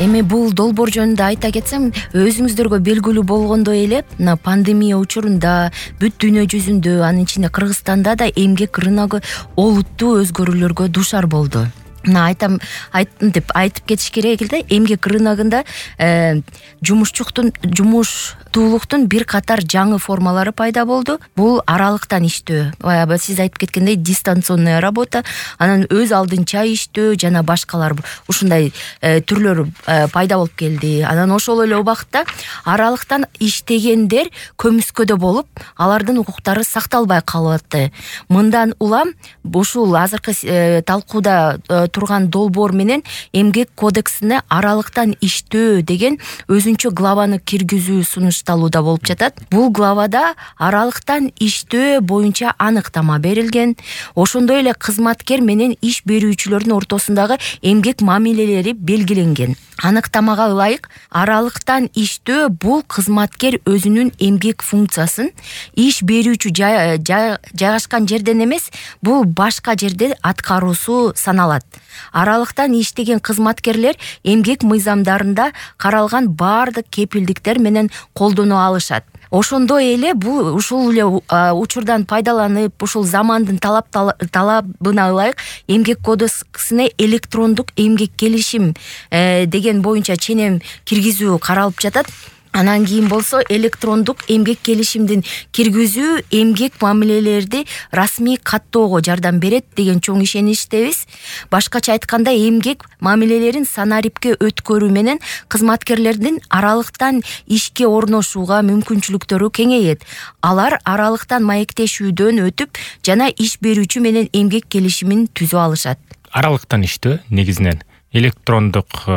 Эми бул долбоор жөнүндө айта кетсем, өзүңүздөргө белгилүү болгондой эле мына пандемия учурунда бүт дүйнө жүзүндө, анын ичинде Кыргызстанда да эмгек рыногу олуттуу өзгөрүүлөргө дуушар болду. Мына айтып кетиш керек эле, эмгек рыногунда жумуштуулуктун бир катар жаңы формалары пайда болду. Бул аралыктан иштөө, баягы сиз айтып кеткендей дистанционная работа, анан өз алдынча иштөө жана башкалар ушундай түрлөр пайда болуп келди. Анан ошол эле убакытта аралыктан иштегендер көмүскөдө болуп, алардын укуктары сакталбай калып атты. Мындан улам ушул азыркы талкууда турган долбоор менен эмгек кодексине аралыктан иштөө деген өзүнчө главаны киргизүү сунушталууда болуп жатат. Бул главада аралыктан иштөө боюнча аныктама берилген. Ошондой эле кызматкер менен иш берүүчүлөрдүн ортосундагы эмгек мамилелери белгиленген. Аныктамага ылайык, аралыктан иштөө бул кызматкер өзүнүн эмгек функциясын иш берүүчү жайгашкан жерден эмес, бул башка жерде аткаруусу саналат. Аралыктан иштеген кызматкерлер эмгек мыйзамдарында каралган баардык кепилдиктер менен колдоно алышат. Ошондой эле бул ушул эле учурдан пайдаланып, ушул замандын талабына ылайык эмгек кодексине электрондук эмгек келишим деген боюнча ченем киргизүү каралып жатат. Анан кийин болсо электрондук эмгек келишимдин киргизүү эмгек мамилелерди расмий каттоого жардам берет деген чоң ишеничтебиз. Башкача айтканда, эмгек мамилелерин санарипке өткөрүү менен кызматкерлердин аралыктан ишке орношууга мүмкүнчүлүктөрү кеңейет. Алар аралыктан маектешүүдөн өтүп жана иш берүүчү менен эмгек келишимин түзө алышат. Аралыктан иштөө негизинен электрондук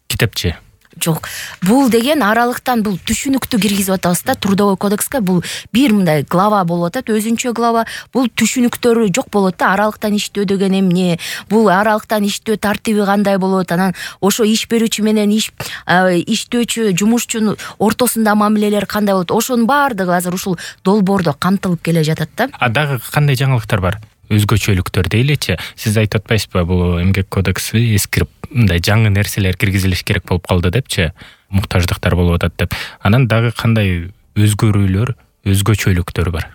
китепче. Жок. Бул деген аралыктан бул түшүнүктү киргизип атабыз да, трудовой кодекске бул бир мындай глава болуп атат, өзүнчө глава. Бул түшүнүктөрү жок болот да, аралыктан иштөө деген эмне, бул аралыктан иштөө тартиби кандай болот, анан ошо иш берүүчү менен иштөөчү, жумушчунун ортосунда мамилелер кандай болот, ошонун баардыгы азыр ушул долбоордо камтылып келе жатат да. Дагы кандай жаңылыктар бар? Өзгөчөлүктөр дейличи. Сиз айтып атпайсызбы, бул эмгек кодекси эскирип, мындай жаңы нерселер киргизилиш керек болуп калды депчи, муктаждыктар болуп атат деп. Анан дагы кандай өзгөрүүлөр, өзгөчөлүктөр бар?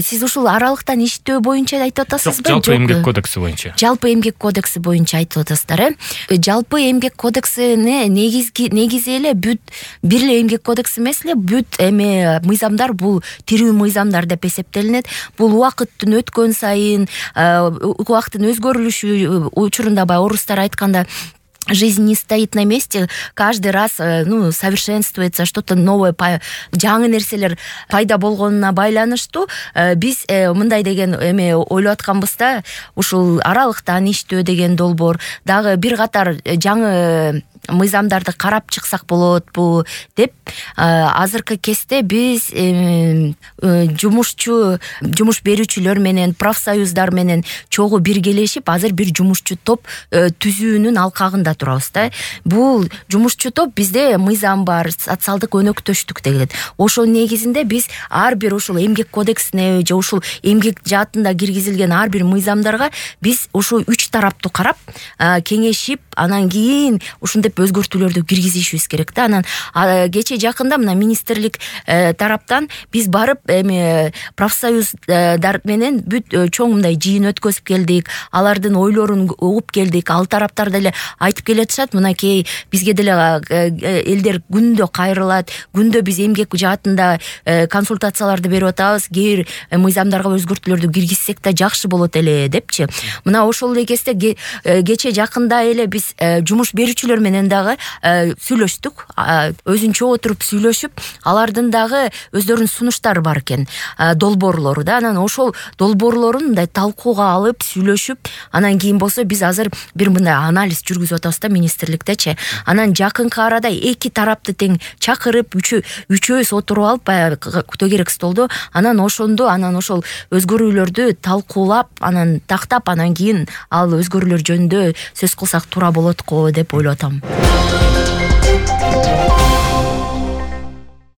Сиз ушул аралыктан иштөө боюнча айтып атасызбы? Жалпы эмгек кодекси боюнча. Жалпы эмгек кодекси боюнча айтып атасыздар, Жалпы эмгек кодексине негизи эле бүт бир эле эмгек кодекс эмес эле, бүт мыйзамдар бул тирүү мыйзамдар деп эсептелинет. Бул убакыттын өткөн сайын, убакыттын өзгөрүлүшү учурунда баягы орустар айтканда, жизнь не стоит на месте, каждый раз совершенствуется, что-то новое, жаңы нерселер пайда болгонуна байланыштуу биз мындай деген ойлоп атканбыз да, ушул аралыктан иштөө деген долбоор дагы бир катар жаңы мыйзамдарды карап чыксак болотпу деп, азыркы кезде биз жумуш берүүчүлөр менен, профсоюздар менен чогуу биргелешип, азыр бир жумушчу топ түзүүнүн алкагында турабыз да. Бул жумушчу топ бизде мыйзам бар, социалдык өнөктөштүк деген. Ошол негизинде биз ар бир ушул эмгек кодексине же ушул эмгек жаатында киргизилген ар бир мыйзамдарга биз ушул 3 тараптуу карап, кеңешип, анан кийин ушинтип өзгөртүүлөрдү киргизишибиз керек да. Анан кече жакында мына министрлик тараптан биз барып профсоюздар менен бүт чоң мындай жыйын өткөзүп келдик, алардын ойлорун угуп келдик. Ал тараптар деле айтып келатышат, мынакей бизге деле элдер күндө кайрылат, күндө биз эмгек жаатында консультацияларды берип атабыз, кээ бир мыйзамдарга өзгөртүүлөрдү киргизсек да жакшы болот эле депчи. Мына ошол эле кезде кече жакында эле биз жумуш берүүчүлөр менен дагы сүйлөштүк, өзүнчө отуруп сүйлөшүп, алардын дагы өздөрүнүн сунуштары бар экен, долбоорлору да. Анан ошол долбоорлорун мындай талкууга алып, сүйлөшүп, анан кийин болсо биз азыр бир мындай анализ жүргүзүп атабыз да министрликтечи. Анан жакынкы арада эки тарапты тең чакырып, үчөөбүз отуруп алып, баягы күтө керек столдо, анан ошол өзгөрүүлөрдү талкуулап, анан тактап, анан кийин ал өзгөрүүлөр жөнүндө сөз кылсак туура болот го деп ойлоп атам.